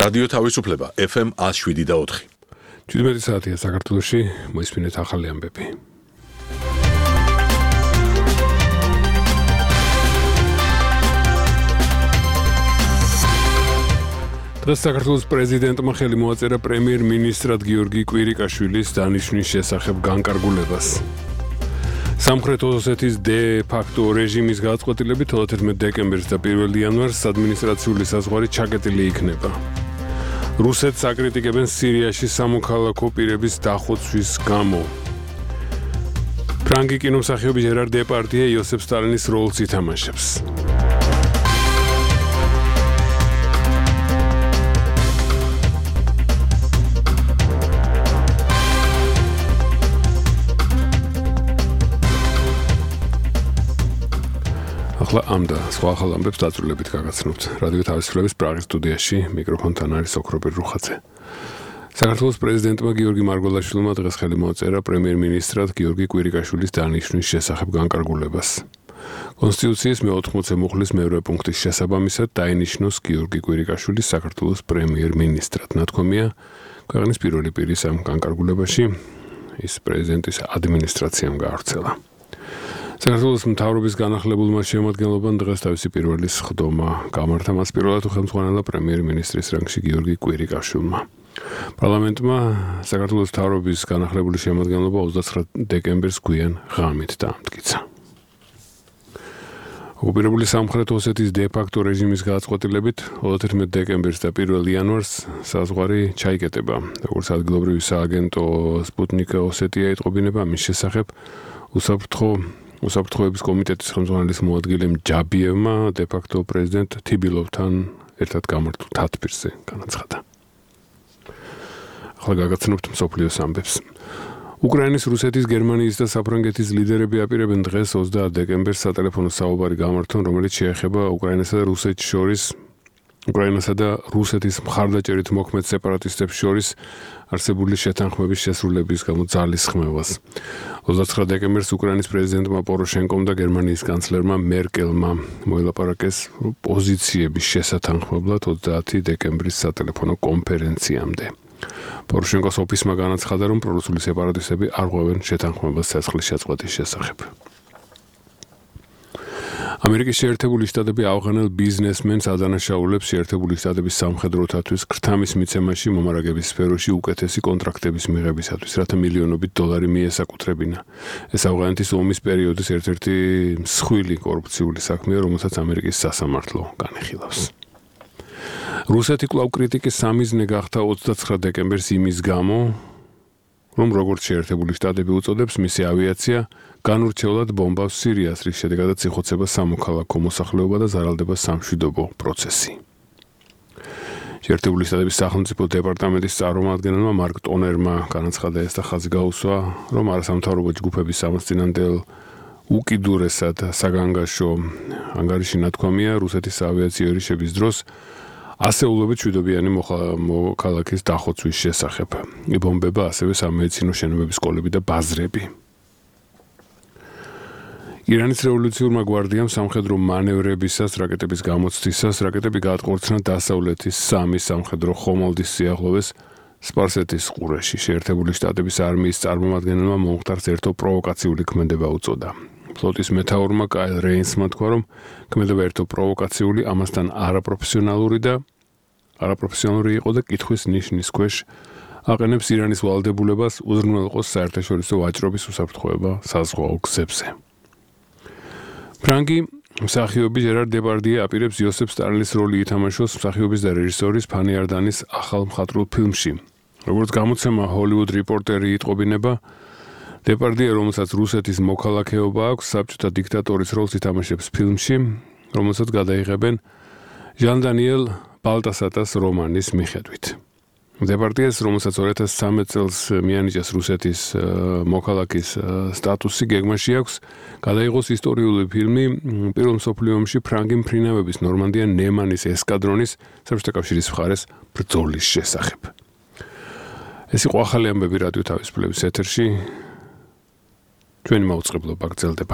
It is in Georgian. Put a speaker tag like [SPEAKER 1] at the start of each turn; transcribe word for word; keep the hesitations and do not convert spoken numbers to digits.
[SPEAKER 1] რადიო თავისუფლება F M one oh seven და four.
[SPEAKER 2] შვიდმეტი საათია საქართველოში, მოისმინეთ ახალი ამბები. დღეს საქართველოს პრეზიდენტმა ხელი მოაწერა პრემიერ-მინისტრად გიორგი კვირიკაშვილის დანიშვნის შესახებ განკარგულებას. სამხრეთ ოსეთის დე-ფაქტო რეჟიმის გადაწყვეტილებით თერთმეტ დეკემბერს და პირველ იანვარს ადმინისტრაციული საზღვარი ჩაკეტილი იქნება. რუსეთს აკრიტიკებენ სირიაში სამოქალაქო პირების დახოცვის გამო. ფრანგი კინომსახიობი ჟერარ დეპარდიე იოსებ სტალინის როლს ითამაშებს. ახლა ამ და სხვა ახალ ამბებს დაწვრილებით გაგაცნობთ. რადიო თავისუფლების პრაღის სტუდიაში მიკროფონთან არის ოქრობერ რუხაძე. საქართველოს პრეზიდენტმა გიორგი მარგველაშვილმა დღეს ხელი მოაწერა პრემიერ-მინისტრად გიორგი კვირიკაშვილის დანიშვნის შესახებ განკარგულებას. კონსტიტუციის მეოთხმოცე მუხლის მეორე პუნქტის შესაბამისად დაინიშნოს გიორგი კვირიკაშვილი საქართველოს პრემიერ-მინისტრად. ნათქვამია ქვეყნის პირველი პირის ამ განკარგულებაში ის პრეზიდენტის ადმინისტრაციამ გაავრცელა. საქართველოს მთავრობის განახლებულმა შემადგენლობამ დღეს თავისი პირველი სხდომა გამართა მას პირველად ხელმძღვანელა პრემიერ-მინისტრის რანგში გიორგი კვირიკაშვილმა. პარლამენტმა საქართველოს მთავრობის განახლებული შემადგენლობა ოცდაცხრა დეკემბერს გვიან ღამით დაამტკიცა. ოკუპირებული სამხრეთ ოსეთის დე-ფაქტო რეჟიმის გადაწყვეტილებით თერთმეტ დეკემბერს და პირველ იანვარს საზღვარი ჩაიკეტება. როგორც ადგილობრივი სააგენტო სპუტნიკ ოსეტია იტყობინება მის შესახებ უსაფრთხო უსაფრთხოების კომიტეტის ხელმძღვანელის მოადგილემ ჯაბიევმა დე-ფაქტო პრეზიდენტ თიბილოვთან ერთად გამართულ თათბირზე განაცხადა. ახლა გაგაცნობთ მსოფლიოს ამბებს. უკრაინის, რუსეთის, გერმანიის და საფრანგეთის ლიდერები აპირებენ დღეს ოცდაათ დეკემბერს სატელეფონო საუბარი გამართონ, რომელიც შეეხება უკრაინასა და რუსეთს შორის უკრაინასა და რუსეთის მხარდაჭერით მოქმედ სეპარატისტებს შორის არსებული შეთანხმების შესრულების გამო ძალისხმევას. ოცდაცხრა დეკემბერს უკრაინის პრეზიდენტმა პოროშენკომ და გერმანიის კანცლერმა მერკელმა მოელაპარაკეს პოზიციების შესათანხმებლად ოცდაათი დეკემბრის სატელეფონო კონფერენციამდე. პოროშენკოს ოფისმა განაცხადა, რომ პრორუსული სეპარატისტები არ ღვევენ შეთანხმებას ცეცხლის შეწყვეტის შესახებ. ამერიკის შეერთებული შტატები ავღანელ ბიზნესმენს ადანაშაულებს შეერთებული შტატების სამხედროთათვის ქრთამის მიცემაში მომარაგების სფეროში უკეთესი კონტრაქტების მიღებისათვის, რათა მილიონობით დოლარი მიესაკუთრებინა. ეს ავღანეთის ომის პერიოდის ერთ-ერთი მსხვილი კორუფციული საქმეა, რომელსაც ამერიკის სასამართლო განიხილავს. რუსეთი კვლავ კრიტიკის სამიზნე გახდა ოცდაცხრა დეკემბერს იმის გამო, რომ როგორც შეერთებული შტატები უწოდებს, მისი ავიაცია განურჩევლად ბომბავს სირიას, რის შედეგადაც იხოცება სამოქალაქო მოსახლეობა და ზარალდება სამშვიდობო პროცესი. შეერთებული შტატების სახელმწიფო დეპარტამენტის წარმომადგენელმა მარკ ტონერმა განაცხადა ეს და ხაზი გაუსვა, რომ არასამთავრობო ჯგუფების სამართლიანდელ უკიდურესად საგანგაშო ანგარიში ნათქვამია რუსეთის ავიაციო ერიშების დროს ასეულობით მშვიდობიანი მოქალაქის დახოცვის შესახებ. იბომბება ასევე სამედიცინო შენობების სკოლები და ბაზრები. ირანის რევოლუციურმა გვარდიამ სამხედრო მანევრებისას, რაკეტების გამოცდისას, რაკეტები გაატყორცნა დასავლეთის სამი სამხედრო ხომალდის სიახლოვეს სპარსეთის ყურეში. შეერთებული შტატების არმიის წარმომადგენელმა მომხდარს ერთო პროვოკაციული ქმედება უწოდა. ფლოტის მეთაურმა კაილ რეინსმა თქვა, რომ ქმედება ერთო პროვოკაციული, ამასთან არაპროფესიონალური და არაპროფესიონალური იყო და კითხვის ნიშნის ქვეშ აყენებს ირანის ვალდებულებას უზრუნველყოს საერთაშორისო ვაჭრობის უსაფრთხოება საზღვაო გზებზე. ფრანგი მსახიობი ჟერარ დეპარდიე აპირებს იოსებ სტალინის როლი ითამაშოს მსახიობის და რეჟისორის ფანი არდანის ახალ მხატვრულ ფილმში. როგორც გამოცემა ჰოლივუდ რიპორტერი იტყობინება, დეპარდიე, რომელსაც რუსეთის მოქალაქეობა აქვს, საბჭოთა დიქტატორის როლს ითამაშებს ფილმში, რომელსაც გადაიღებენ ჟან დანიელ ბალტასატას რომანის მიხედვით. დეპარდიეს, რომელსაც ორი ათას ცხრამეტ წელს მიანიჭეს რუსეთის მოქალაქის სტატუსი, გეგმაში აქვს გადაიღოს ისტორიული ფილმი პირველ მსოფლიო ომში ფრანგი მფრინავების ნორმანდია ნემანის ესკადრონის საბჭოთა კავშირის მხარეს ბრძოლის შესახებ. ეს იყო ახალი ამბები რადიო თავისუფლების ეთერში. ჩვენი მაუწყებლობა გრძელდება.